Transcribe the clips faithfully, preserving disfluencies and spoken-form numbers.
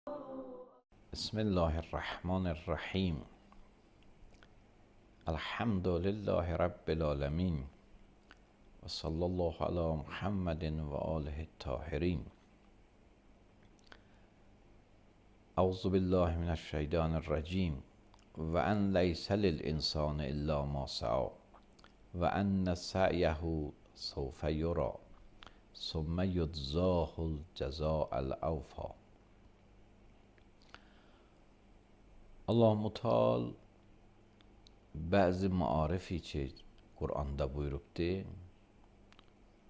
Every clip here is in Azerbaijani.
بسم الله الرحمن الرحیم. الحمد لله رب العالمین و صلی الله علی محمد و آله الطاهرین. اعوذ بالله من الشیطان الرجیم. و ان لیس للانسان الا ما سعی و ان سعیه سوف یری ثم یجزاه الجزاء الاوفی. Allah Mutal bəzi maarifi ki Quranda buyurubdur,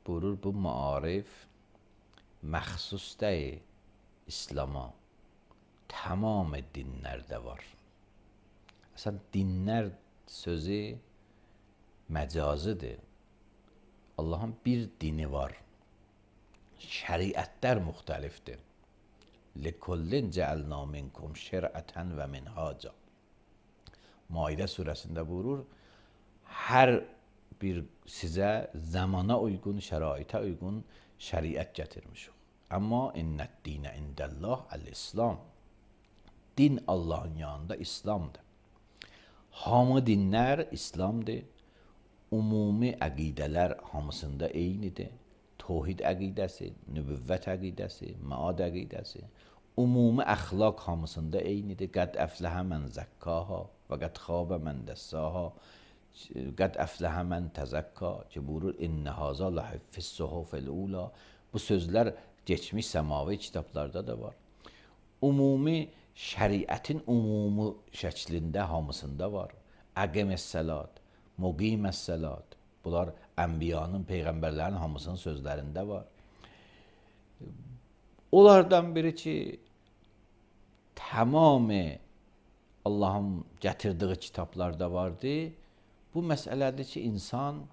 buyurur bu maarif məxsus deyil İslam'a, tamam dinlərdə var. Əslən dinlər sözü məcazıdır. Allahın bir dini var. Şəriətlər müxtəlifdir. لِكُلِّنْ جَعَلْنَا مِنْكُمْ شِرْعَةً وَمِنْهَاجًا. Maidə surəsində buyurur, hər bir sizə zamana uyğun, şəraitə uyğun şəriət gətirmişik. Amma innəd-dinə indəllah əl-İslam. Din Allahın yanında İslamdır. Hamı dinlər İslamdır. Ümumi əqidələr hamısında eynidir. Tohid əqidəsi, nübüvvət əqidəsi, məad əqidəsi, ümumi əxlaq hamısında eynidir. Qəd əfləhə mən zəkkaha və qəd xabə mən dəssaha, qəd əfləhə mən təzəkka ki, buyurur, İnnə hazə ləhiffiz suhufil ula. Bu sözlər geçmiş səmavi kitablarda da var. Ümumi şəriətin ümumi şəklində hamısında var. Əqiməs-səlat, muqiməs-səlat. Bunlar ənbiyanın, peyğəmbərlərin hamısının sözlərində var. Onlardan biri ki, tamamı Allahın gətirdiyi kitablarda vardı. Bu məsələdir ki, insan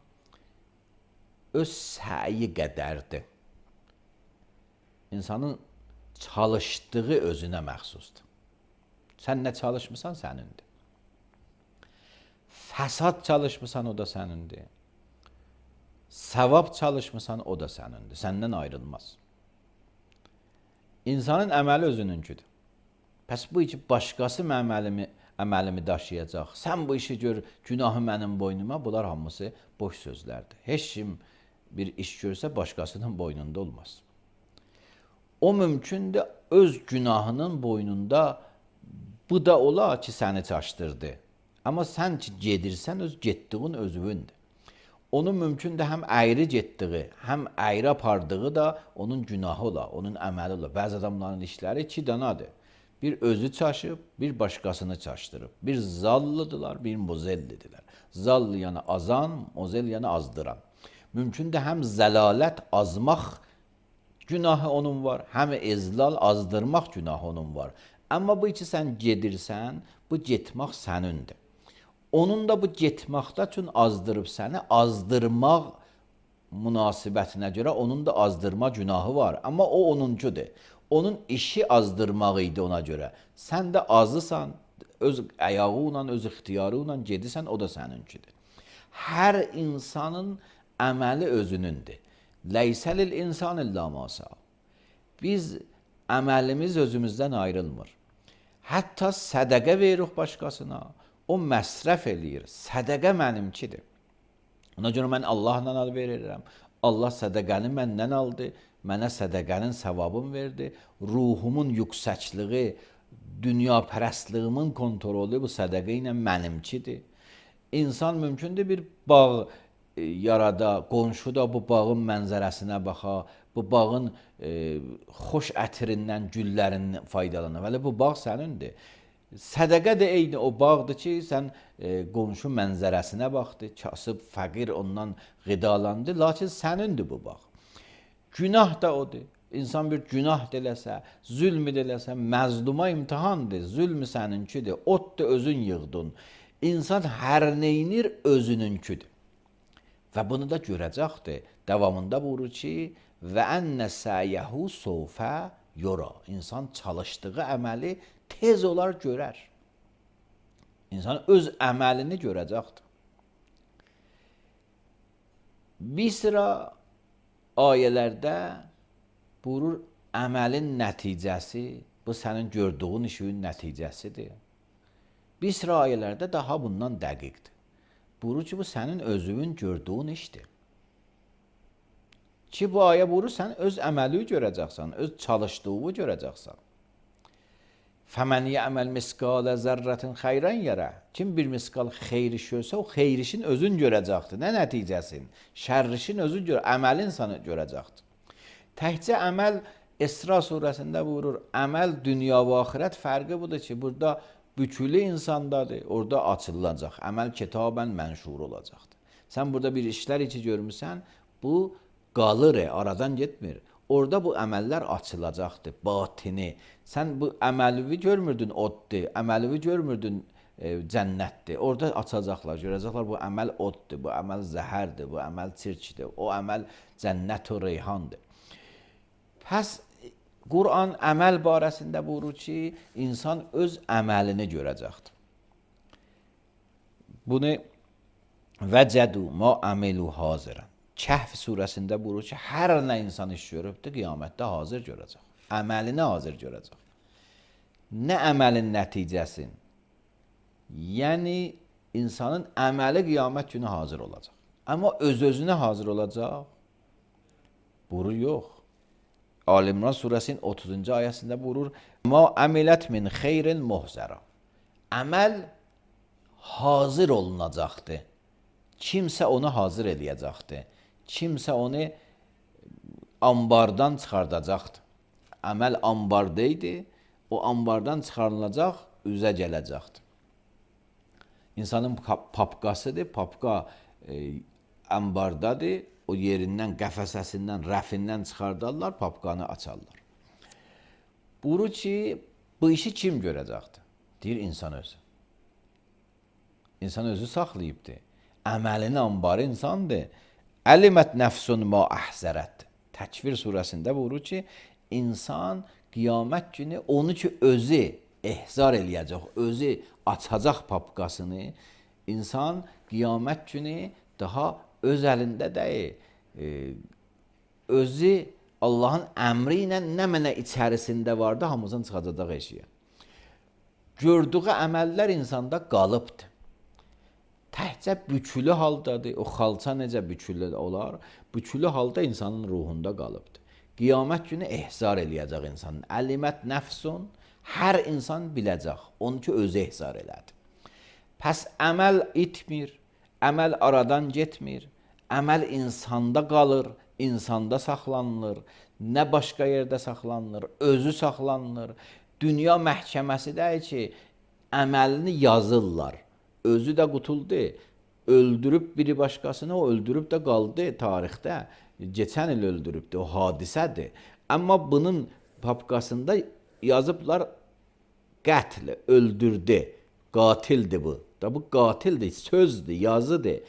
öz səyi qədərdir. İnsanın çalışdığı özünə məxsusdur. Sən nə çalışmısan, sənindir. Fəsad çalışmısan, o da sənindir. Savab çalışmısan, o da sənindir. Səndən ayrılmaz. İnsanın əməli özününküdür. Pəs bu iki başqası əməlimi, əməlimi daşıyacaq. Sən bu işi gör, günahı mənim boynuma. Bunlar hamısı boş sözlərdir. Heç kim bir iş görsə başqasının boynunda olmaz. O mümkündür öz günahının boynunda bu da ola ki, səni çaşdırdı. Amma sən ki gedirsən, öz getdiğin özündür. Onun mümkündür həm əyri getdiyi, həm əyri apardığı da onun günahı ola, onun əməli ola. Bəzi adamların işləri iki danadır. Bir özü çaşıb, bir başqasını çaşdırıb. Bir zallıdırlar, bir mozellidirlər. Zallı yəni azan, mozel yəni azdıran. Mümkündür həm zəlalət, azmaq günahı onun var, həm ezlal, azdırmaq günahı onun var. Amma bu iki sən gedirsən, bu getmək sənindir. Onun da bu getməkdə üçün azdırıb səni, azdırmaq münasibətinə görə onun da azdırma günahı var. Amma o onuncudur. Onun işi azdırmaq idi ona görə. Sən də azısan, öz əyağı ilə, öz ixtiyarı ilə gedirsən, o da səninkidir. Hər insanın əməli özünündür. Leysəlil insan illa ma sa'a. Biz əməlimiz özümüzdən ayrılmır. Hətta sədəqə veririk başqasına. O məsrəf eləyir. Sədəqə mənimkidir. Ona görə mən Allahla al verirəm. Allah sədəqəni məndən aldı. Mənə sədəqənin savabını verdi. Ruhumun yüksəkliyi, dünya pərəstliyimin kontrolü bu sədəqə ilə mənimkidir. İnsan mümkündür bir bağ yarada, qonşu da bu bağın mənzərəsinə baxa, bu bağın e, xoş ətirindən, güllərindən faydalanır. Vəli bu bağ sənindir. Sədəqə də eyni o bağdır ki, sən e, qonşu mənzərəsinə baxdı, kasıb, fəqir ondan qidalandı, lakin sənindir bu bağ. Günah da odur. İnsan bir günah deləsə, zülm deləsə, məzluma imtihandır, zülmü səninkidir, ot da özün yığdın. İnsan hər neynir özününkidir. Və bunu da görəcəkdir. Davamında buyurur ki, və ənə səyəhu sovfə yora. İnsan çalışdığı əməli tez olar görər. İnsan öz əməlini görəcəkdir. Bir sıra ayələrdə buyurur, əməlin nəticəsi Bu sənin gördüyün işin nəticəsidir. Bir sıra ayələrdə daha bundan dəqiqdir. Buyurur ki, bu sənin özünün gördüyün işdir. Ki bu ayə buyurur, sən öz əməli görəcəksən, öz çalışdığını görəcəksən. فَمَنْ يَعْمَلْ مِسْقَالَ زَرَّةٍ خَيْرًا يَرَهُ. Kim bir miskal xeyir iş görsə, o xeyir işin özün görəcəkdir. Nə nəticəsin? Şər işin özün gör, əməlin səni görəcəkdir. Təkcə əməl İsra surəsində buyurur, əməl dünya və axirət fərqi budur ki, burada bükülü insandadır, orada açılacaq. Əməl kitabən mənşur olacaqdır. Sən burada bir işlər içi görmüsən, bu qalır, aradan getmir. Orada bu əməllər açılacaqdır, batini. Sən bu əməlivi görmürdün oddur, əməlivi görmürdün e, cənnətdir. Orada açacaqlar, görəcəklər bu əməl oddur, bu əməl zəhərdir, bu əməl çirkdir, o əməl cənnət və reyhandır. Pəs Quran əməl barəsində buyurur ki, insan öz əməlini görəcəkdir. Bunu vəcədu ma əməlu hazirən. Kəhf surəsində buyurur ki, hər nə insan iş görübdür, qiyamətdə hazır görəcək. Əməlini hazır görəcək. Nə əməlin nəticəsin? Yəni, insanın əməli qiyamət günü hazır olacaq. Amma öz-özünə hazır olacaq? Buyurur, yox. Ali-İmran surəsinin otuzuncu ayəsində buyurur, Ma əmilət min xeyrin muhzəra. Əməl hazır olunacaqdır. Kimsə onu hazır eləyəcəkdir. Kimsə onu ambardan çıxardacaqdır. Əməl ambardaydı, o ambardan çıxarılacaq, üzə gələcəkdir. İnsanın papqasıdır, papqa e, ambardadır, o yerindən, qəfəsəsindən, rəfindən çıxardarlar, papqanı açarlar. Buyurur ki, bu işi kim görəcəkdir? Deyir, insan özü. İnsan özü saxlayıbdır. Əməlinin ambarı insandır. Əlimət nəfsun ma əhzərət. Təkvir surəsində buyurur ki, insan qiyamət günü onu ki, özü ehzar eləyəcək, özü açacaq papqasını, insan qiyamət günü daha öz əlində deyil, e, özü Allahın əmri ilə nə mənə içərisində vardı, hamımızın çıxacaq eşiyə. Gördüğü əməllər insanda qalıbdır. Təhcə bükülü haldadır, o xalça necə bükülü olar, bükülü halda insanın ruhunda qalıbdır. Qiyamət günü ehzar eləyəcək insanın. Əlimət nəfsun, hər insan biləcək, onu ki, özü ehzar elədi. Pəs əməl itmir, əməl aradan getmir, əməl insanda qalır, insanda saxlanılır, nə başqa yerdə saxlanılır, özü saxlanılır. Dünya məhkəməsi deyir ki, əməlini yazırlar. Özü də qutuldu, öldürüb biri başqasını, o öldürüb də qaldı tarixdə. Geçən il öldürübdü, o hadisədir. Amma bunun papqasında yazıblar qətl, öldürdü, qatildir bu. Da bu qatildir, sözdür, yazıdır.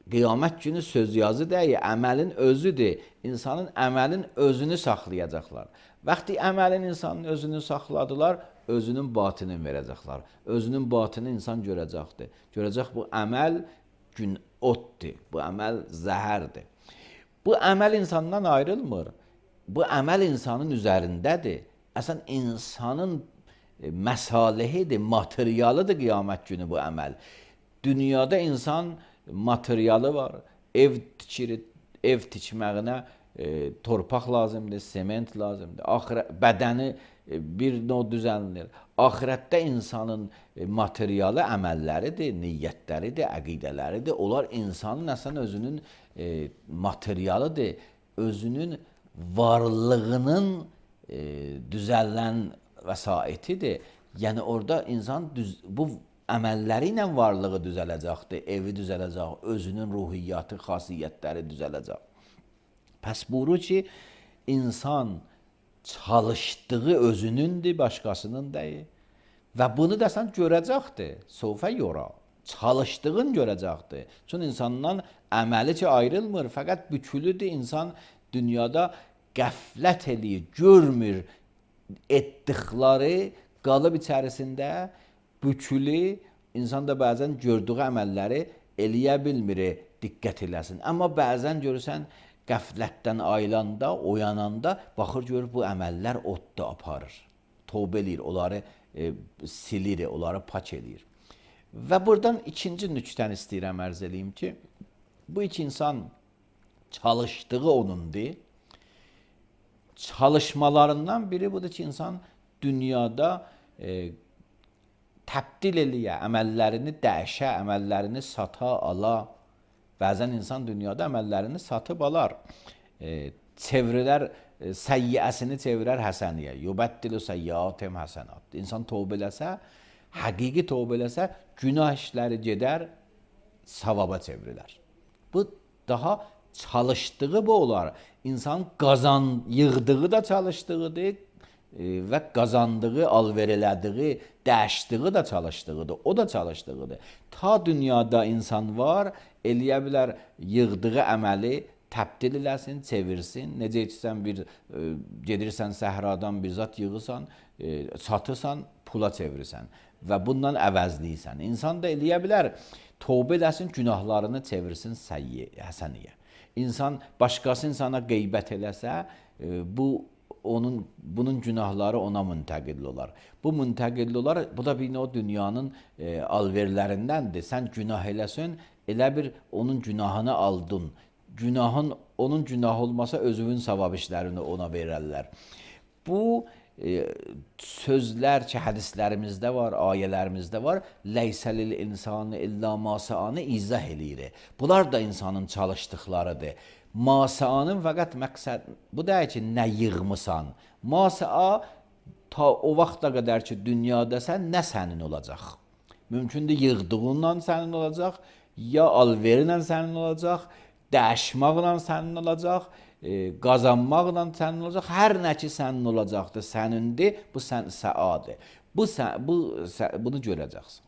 Qiyamət günü söz yazı deyil, əməlin özüdür. İnsanın əməlin özünü saxlayacaqlar. Vaxtı əməlin insanın özünü saxladılar, özünün batını verəcəklər. Özünün batını insan görəcəkdir. Görəcək bu əməl gün otdur, bu əməl zəhərdir. Bu əməl insandan ayrılmır. Bu əməl insanın üzərindədir. Əsən insanın məsalehidir, materialıdır qiyamət günü bu əməl. Dünyada insan materialı var, ev tikir, ev tikməyinə e, torpaq lazımdır, sement lazımdır, Axirət, bədəni e, bir növ düzənlir. Axirətdə insanın e, materialı əməlləridir, niyyətləridir, əqidələridir. Onlar insanın əsən özünün e, materialıdır, özünün varlığının e, düzələn vəsaitidir. Yəni orada insan düz, bu əməlləri ilə varlığı düzələcəkdir, evi düzələcək, özünün ruhiyyatı, xasiyyətləri düzələcək. Pəs buyurur ki, insan çalışdığı özünündür, başqasının deyil. Və bunu da sən görəcəkdir, sofə yora. Çalışdığın görəcəkdir. Çünki insandan əməli ki ayrılmır, fəqət bükülüdür. İnsan dünyada qəflət eləyir, görmür etdikləri, qalıb içərisində bükülü, insan da bəzən gördüyü əməlləri eləyə bilmir, diqqət eləsin. Amma bəzən görürsən, qəflətdən ayılanda, oyananda, baxır görür bu əməllər odda aparır. tövbə eləyir, onları e, silir, onları pak eləyir. Və buradan ikinci nüktəni istəyirəm ərz eləyim ki, bu iki insan çalışdığı onundur. Çalışmalarından biri budur ki, insan dünyada e, təbdil eləyə, əməllərini dəyişə, əməllərini sata, ala. Bəzən insan dünyada əməllərini satıb alar. E, çevrilər, e, səyyəsini çevirər həsəniyə. Yubəddilu səyyatəm həsənat. İnsan tövbə eləsə, həqiqi tövbə eləsə, günah işləri gedər, savaba çevrilər. Bu daha çalışdığı bu olar. İnsan qazan, yığdığı da çalışdığıdır e, və qazandığı, alver elədiyi, dəyişdiyi da çalışdığıdır. O da çalışdığıdır. Ta dünyada insan var, eləyə bilər yığdığı əməli təbdil eləsin, çevirsin. Necə etsən bir e, gedirsən səhradan bir zat yığırsan, e, satırsan, pula çevirirsən və bundan əvəzləyirsən. İnsan da eləyə bilər tövbə eləsin, günahlarını çevirsin səyyi, həsəniyə. İnsan başqası insana qeybət eləsə, e, bu onun bunun günahları ona müntəqil olar. Bu müntəqil olar. Bu da bir o dünyanın e, alverlərindəndir. Sən günah eləsən, elə bir onun günahını aldın. Günahın onun günahı olmasa özünün savab işlərini ona verərlər. Bu e, sözlər ki, hədislərimizdə var, ayələrimizdə var. Leysəlil insanı illa masaanı izah eləyir. Bunlar da insanın çalışdıqlarıdır. Masaanın fəqət məqsəd bu deyil ki, nə yığmısan. Masaa ta o vaxta qədər ki, dünyadasən, nə sənin olacaq? Mümkündür yığdığından sənin olacaq, ya alverinlə sənin olacaq, dəyişməklə sənin olacaq, e, qazanmaqla sənin olacaq, hər nə ki sənin olacaqdır, sənindir, bu sən səadır. Bu, sən, bu sə, bunu görəcəksən.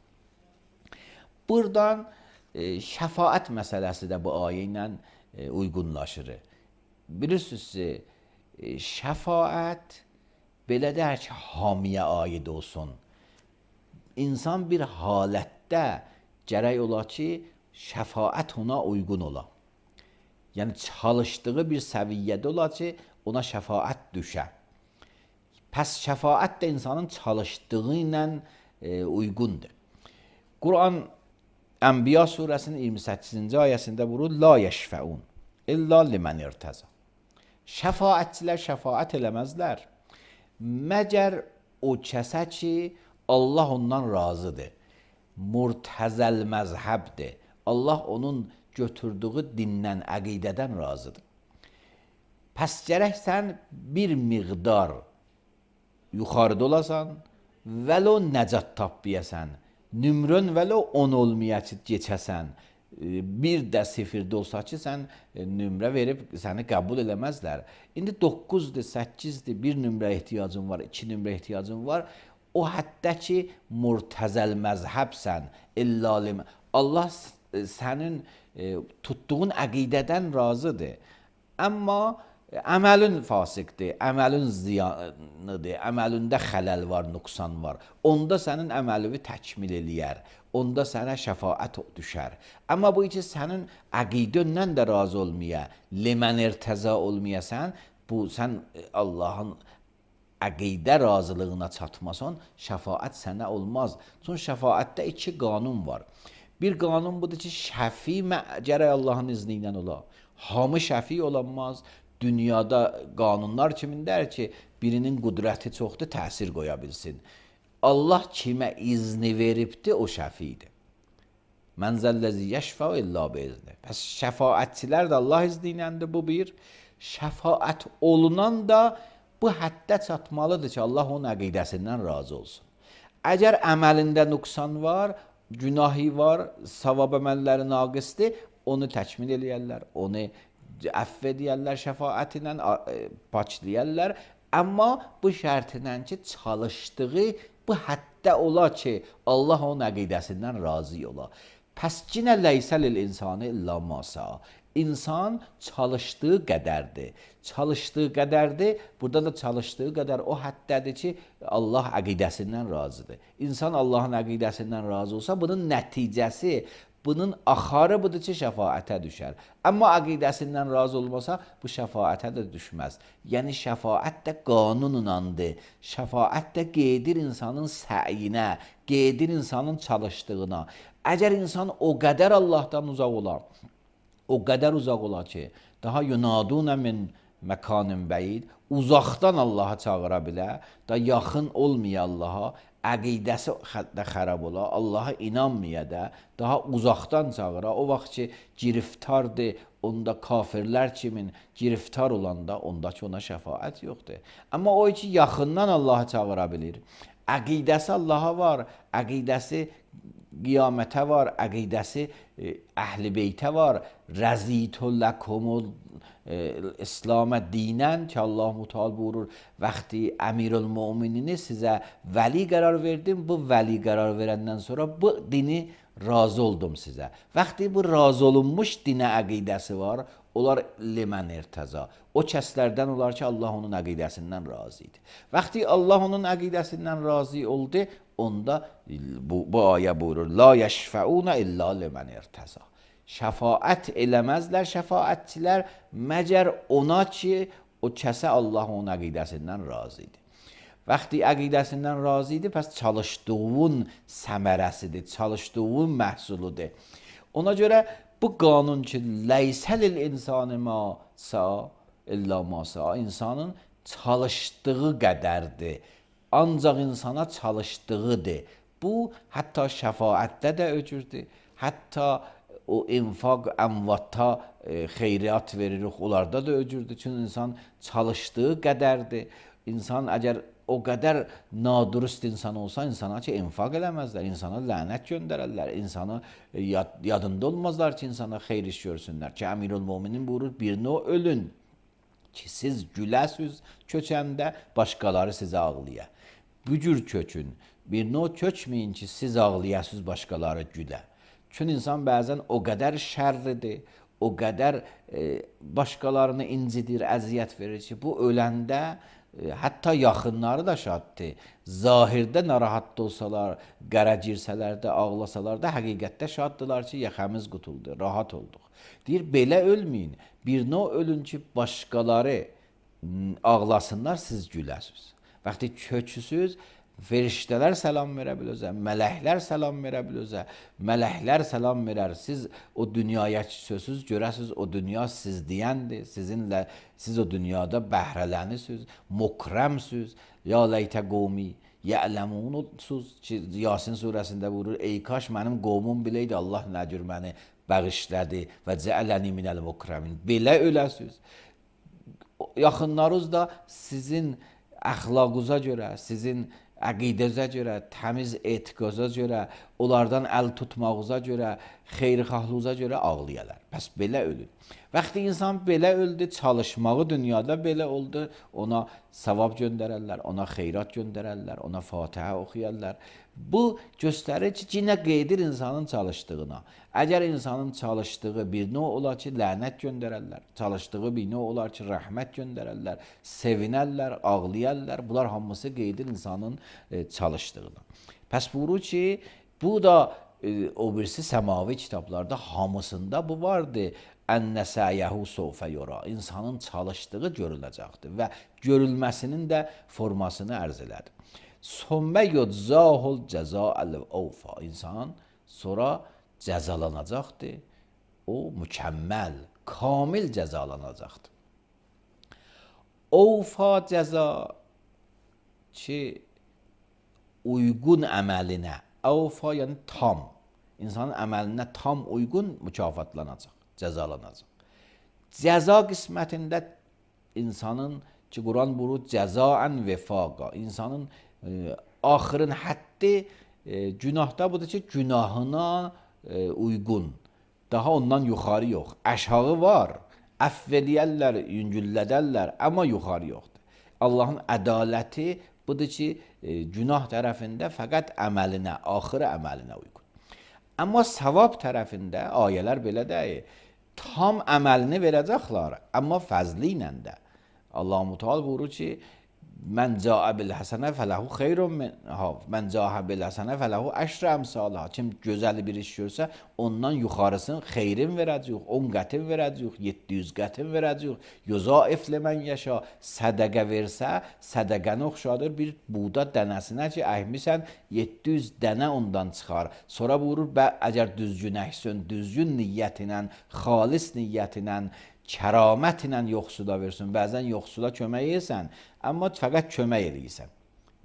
Buradan e, şəfaət məsələsi də bu ayə ilə e, uyğunlaşır. Bilirsiniz ki, e, şəfaət belə deyək ki, hamiyə aid olsun. İnsan bir halətdə gərək ola ki, şəfaət ona uyğun ola. Yəni çalışdığı bir səviyyədə ola ki, ona şəfaət düşə. Pəs şəfaət də insanın çalışdığı ilə e, uyğundur. Quran Ənbiya surəsinin iyirmi səkkizinci ayəsində vurur, la yeşfəun illa limən irtəza. Şəfaətçilər şəfaət eləməzlər. Məgər o kəsə ki, Allah ondan razıdır. Murtəzəl məzhəbdir. Allah onun götürdüyü dindən, əqidədən razıdır. Pəs gərək sən bir miqdar yuxarıda olasan, vəlo nəcat tapbiyasən, nümrön vəlo on olmaya geçəsən, bir də sifirdə olsa ki, sən nümrə verib səni qəbul eləməzlər. İndi doqquzdur, səkkizdir, bir nümrə ehtiyacın var, iki nümrə ehtiyacın var. O həddə ki, murtəzəl məzhəbsən, illalim. Allah sənin e, tutduğun əqidədən razıdır. Amma əməlin fasiqdir, əməlin ziyanıdır, əməlində xələl var, nüqsan var. Onda sənin əməlivi təkmil eləyər. Onda sənə şəfaət düşər. Amma bu ki, sənin əqidəndən də razı olmaya, limən irtəza olmayasan, bu sən Allahın əqidə razılığına çatmasan, şəfaət sənə olmaz. Çünki şəfaətdə iki qanun var. Bir qanun budur ki, şəfi gərək Allahın izni ilə ola. Hamı şəfi olanmaz. Dünyada qanunlar kimindər ki, birinin qüdrəti çoxdur, təsir qoya bilsin. Allah kimə izni veribdir, o şəfidir. Mən zəlləzi yəşfə illə beizni. Pəs şəfaətçilər də Allah izni iləndir, bu bir. Şəfaət olunan da bu həddə çatmalıdır ki, Allah onun əqidəsindən razı olsun. Əgər əməlində nüqsan var, günahı var, savab əməlləri naqisdir, onu təkmil eləyərlər, onu əfv edərlər, şəfaət ilə paçlayərlər. Amma bu şərtilə ki, çalışdığı bu həddə ola ki, Allah onun əqidəsindən razı ola. Pəs cinə leysəlil insanı illa masa. İnsan çalışdığı qədərdir. Çalışdığı qədərdir. Burada da çalışdığı qədər o həddədir ki, Allah əqidəsindən razıdır. İnsan Allahın əqidəsindən razı olsa, bunun nəticəsi bunun axarı budur ki, şəfaətə düşər. Amma əqidəsindən razı olmasa, bu şəfaətə də düşməz. Yəni, şəfaət də qanununandır. Şəfaət də qeydir insanın səyinə, qeydir insanın çalışdığına. Əgər insan o qədər Allahdan uzaq olar, o qədər uzaq olar ki, daha yunadunə min məkanın bəyid, uzaqdan Allaha çağıra bilər, da yaxın olmaya Allaha, əqidəsi də xərab ola, Allaha inanmaya da, daha uzaqdan çağıra, o vaxt ki, giriftardır, onda kafirlər kimin giriftar olanda, onda ki, ona şəfaət yoxdur. Amma o ki, yaxından Allaha çağıra bilir, əqidəsi Allaha var, əqidəsi qiyamətə var, əqidəsi əhl-i beytə var, rəzitü ləkumul İslamə dinən ki, Allah Müteal buyurur, vaxtı əmirül-müminini sizə vəli qərar verdim, bu vəli qərar verəndən sonra bu dini razı oldum sizə. Vaxtı bu razı olunmuş dinə əqidəsi var, onlar limən irtəza. O kəslərdən olar ki, Allah onun əqidəsindən razı idi. Vaxtı Allah onun əqidəsindən razı oldu, onda bu, bu ayə buyurur, la yəşfəunə illa limən irtəza. Şəfaət eləməzlər şəfaətçilər məgər ona ki, o kəsə Allah onun əqidəsindən razı idi. Vaxtı əqidəsindən razı idi, pəs çalışdığın səmərəsidir, çalışdığın məhsuludur. Ona görə bu qanun ki, leysəlil insanı ma sa illa ma sa, insanın çalışdığı qədərdir. Ancaq insana çalışdığıdır. Bu, hətta şəfaətdə də öcürdür. Hətta o infaq, əmvata e, xeyriyyat veririk, onlarda da öcürdür. Çünki insan çalışdığı qədərdir. İnsan əgər o qədər nadurust insan olsa, insana ki, infaq eləməzlər, insana lənət göndərərlər, insana yad, yadında olmazlar ki, insana xeyr iş görsünlər. Ki, Əmirül-Müminin buyurur, birini o ölün ki, siz güləsiz köçəndə, başqaları sizə ağlıya. Bu cür köçün, birini o köçməyin ki, siz ağlayasız, başqaları gülə. Çünki insan bəzən o qədər şərridir, o qədər e, başqalarını incidir, əziyyət verir ki, bu öləndə e, hətta yaxınları da şaddır. Zahirdə narahat olsalar, qərə girsələr də, ağlasalar da, həqiqətdə şaddılar ki, yaxamız qutuldu, rahat olduq. Deyir, belə ölməyin, birini o ölün ki, başqaları ağlasınlar, siz güləsiz. Vaxtı köçüsüz, feriştələr salam verə biləcək, mələklər salam verə biləcək, mələklər salam verər. Siz o dünyaya sözsüz görəsiz, o dünya siz deyəndir, sizinlə, siz o dünyada bəhrələnisiniz, mukrəmsiniz, ya leytə qovmi, yələmununsuz ki, Yasin surəsində buyurur, ey kaş mənim qovmum biləydi, Allah nə cür məni bağışladı və cəələni minəl mukrəmin. Belə öləsiniz. Yaxınlarınız da sizin əxlaqınıza görə, sizin əqidəzə görə, təmiz etiqaza görə, onlardan əl tutmağınıza görə, xeyirxahlığınıza görə ağlayalar. Bəs belə ölün. Vaxtı insan belə öldü, çalışmağı dünyada belə oldu, ona savab göndərərlər, ona xeyrat göndərərlər, ona Fatihə oxuyarlar. Bu göstərir ki, yenə qeydir insanın çalışdığına. Əgər insanın çalışdığı birinə olar ki, lənət göndərərlər, çalışdığı birinə olar ki, rəhmət göndərərlər, sevinərlər, ağlayarlar. Bunlar hamısı qeydir insanın e, çalışdığına. Pəs buyurur ki, bu da e, o birisi səmavi kitablarda hamısında bu vardır. Ənnə səyəhu sofə yora. İnsanın çalışdığı görüləcəkdir və görülməsinin də formasını ərz elədi. Sommə yuczahul cəzaəl ovfa. İnsan sonra cəzalanacaqdır. O mükəmməl, kamil cəzalanacaqdır. Ovfa cəza ki, uyğun əməlinə. Ovfa yəni tam. İnsanın əməlinə tam uyğun mükafatlanacaq, cəzalanacaq. Cəza qismətində insanın ki, Quran buyurur, cəzaən vefaqa. İnsanın e, axırın həddi e, günahda budur ki, günahına e, uyğun. Daha ondan yuxarı yox. Aşağı var, əfv eləyərlər, yüngüllədərlər, amma yuxarı yoxdur. Allahın ədaləti budur ki, e, günah tərəfində fəqət əməlinə, axırı əməlinə uyğun. Amma savab tərəfində ayələr belə deyir, tam əməlini verəcəklər, amma fəzli ilə də. Allah Müteal buyurur ki, Mən cəə bil həsənə fələhu xeyrun minhə. Mən cəə bil həsənə fələhu əşrə əmsalha. Kim gözəl bir iş görsə, ondan yuxarısını xeyrin verəcəyik, on qətin verəcəyik, yeddi yüz qətin verəcəyik. Yuzaif limən yaşa. Sədəqə versə, sədəqəni oxşadır bir buğda dənəsinə ki, əkmisən, yeddi yüz dənə ondan çıxar. Sonra buyurur, bə əgər düzgün əksin, düzgün niyyətinə, xalis niyyətinə, kəramətlə yoxsula versin. Bəzən yoxsula kömək edirsən, amma fəqət kömək eləyirsən.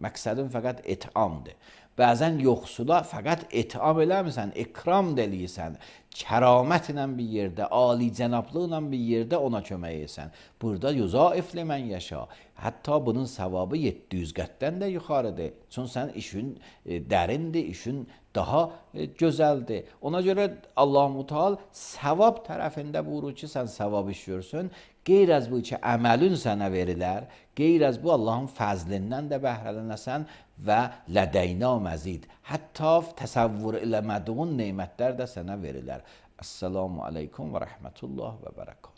Məqsədin fəqət etamdır. Bəzən yoxsula fəqət etam eləmirsən, ikram da eləyirsən. Kəramətlə bir yerdə, ali cənablıqla bir yerdə ona kömək edirsən. Burada yuzaif limən yaşa. Hətta bunun savabı yeddi yüz qətdən də yuxarıdır. Çünki sən işin e, dərindir, işin daha e, gözəldir. Ona görə Allah-u Teala savab tərəfində buyurur ki, sən savab iş görsün. Qeyr az bu ki, əməlin sənə verilər. Qeyr az bu Allahın fəzlindən də bəhrələnəsən və lədəyna məzid. Hətta təsəvvür eləmədiyin nemətlər də sənə verilər. Əssalamu aleykum və rəhmətullah və bərəkət.